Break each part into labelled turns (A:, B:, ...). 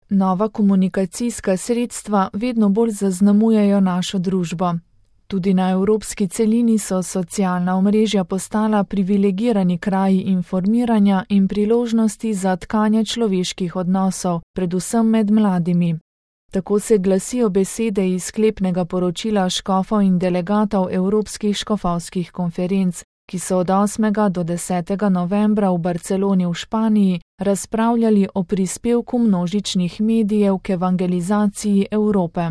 A: Nova komunikacijska sredstva vedno bolj zaznamujejo našo družbo. Tudi na evropski celini so socialna omrežja postala privilegirani kraji informiranja in priložnosti za tkanje človeških odnosov, predvsem med mladimi. Tako se glasijo besede iz sklepnega poročila škofov in delegatov Evropskih škofovskih konferenc, ki so od 8. do 10. novembra v Barceloni v Španiji razpravljali o prispevku množičnih medijev k evangelizaciji Evrope.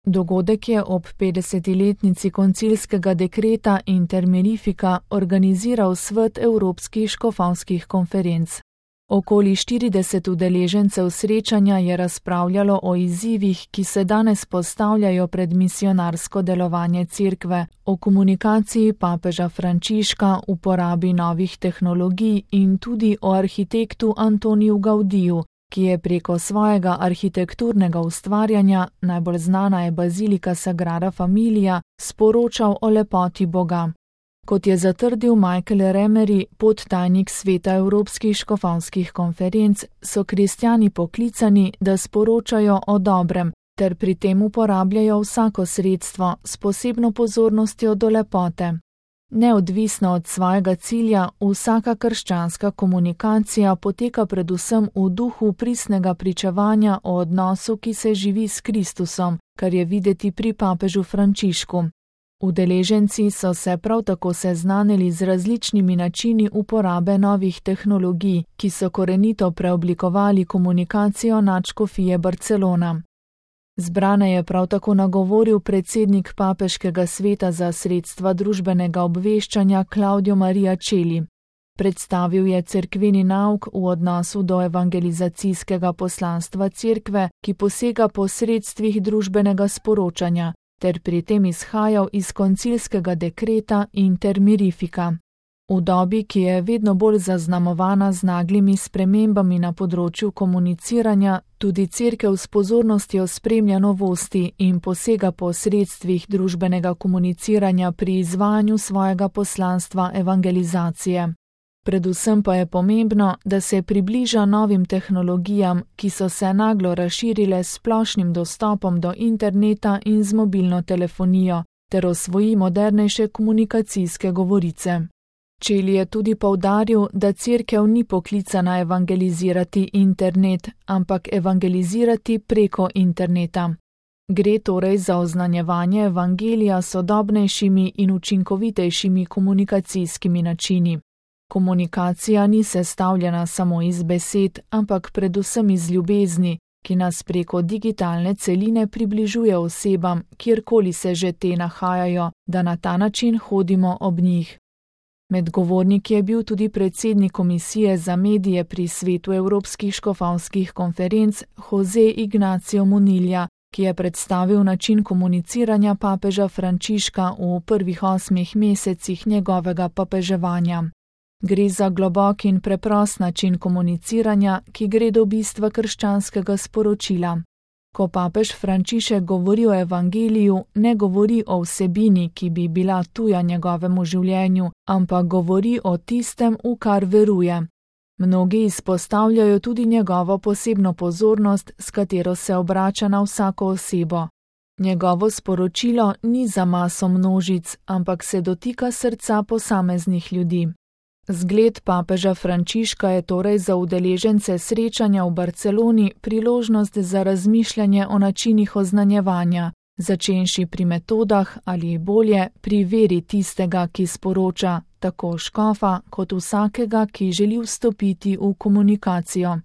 A: Dogodek je ob 50-letnici koncilskega dekreta Inter Mirifica organiziral Svet Evropskih škofovskih konferenc. Okoli 40 udeležencev srečanja je razpravljalo o izzivih, ki se danes postavljajo pred misionarsko delovanje Cerkve, o komunikaciji papeža Frančiška, uporabi novih tehnologij in tudi o arhitektu Antoniju Gaudiju, ki je preko svojega arhitekturnega ustvarjanja, najbolj znana je bazilika Sagrada Familia, sporočal o lepoti Boga. Kot je zatrdil Michael Remery, podtajnik Sveta Evropskih škofovskih konferenc, so kristjani poklicani, da sporočajo o dobrem, ter pri tem uporabljajo vsako sredstvo s posebno pozornostjo do lepote. Neodvisno od svojega cilja, vsaka krščanska komunikacija poteka predvsem v duhu pristnega pričevanja o odnosu, ki se živi s Kristusom, kar je videti pri papežu Frančišku. Udeleženci so se prav tako seznanili z različnimi načini uporabe novih tehnologij, ki so korenito preoblikovali komunikacijo nadškofije Barcelona. Zbrane je prav tako nagovoril predsednik Papeškega sveta za sredstva družbenega obveščanja Claudio Maria Celli. Predstavil je cerkveni nauk v odnosu do evangelizacijskega poslanstva Cerkve, ki posega po sredstvih družbenega sporočanja, ter pri tem izhajal iz koncilskega dekreta Inter Mirifica. V dobi, ki je vedno bolj zaznamovana z naglimi spremembami na področju komuniciranja, tudi Cerkev s pozornostjo spremlja novosti in posega po sredstvih družbenega komuniciranja pri izvajanju svojega poslanstva evangelizacije. Predvsem pa je pomembno, da se približa novim tehnologijam, ki so se naglo razširile s splošnim dostopom do interneta in z mobilno telefonijo, ter osvoji modernejše komunikacijske govorice. Celli je tudi poudaril, da Cerkev ni poklicana evangelizirati internet, ampak evangelizirati preko interneta. Gre torej za oznanjevanje evangelija s sodobnejšimi in učinkovitejšimi komunikacijskimi načini. Komunikacija ni sestavljena samo iz besed, ampak predvsem iz ljubezni, ki nas preko digitalne celine približuje osebam, kjerkoli se že te nahajajo, da na ta način hodimo ob njih. Med govorniki je bil tudi predsednik komisije za medije pri Svetu Evropskih škofovskih konferenc Jose Ignacio Munilla, ki je predstavil način komuniciranja papeža Frančiška v prvih 8 mesecih njegovega papeževanja. Gre za globok in preprost način komuniciranja, ki gre do bistva krščanskega sporočila. Ko papež Frančišek govori o evangeliju, ne govori o vsebini, ki bi bila tuja njegovemu življenju, ampak govori o tistem, v kar veruje. Mnogi izpostavljajo tudi njegovo posebno pozornost, s katero se obrača na vsako osebo. Njegovo sporočilo ni za maso množic, ampak se dotika srca posameznih ljudi. Zgled papeža Frančiška je torej za udeležence srečanja v Barceloni priložnost za razmišljanje o načinih oznanjevanja, začenši pri metodah ali bolje pri veri tistega, ki sporoča, tako škofa kot vsakega, ki želi vstopiti v komunikacijo.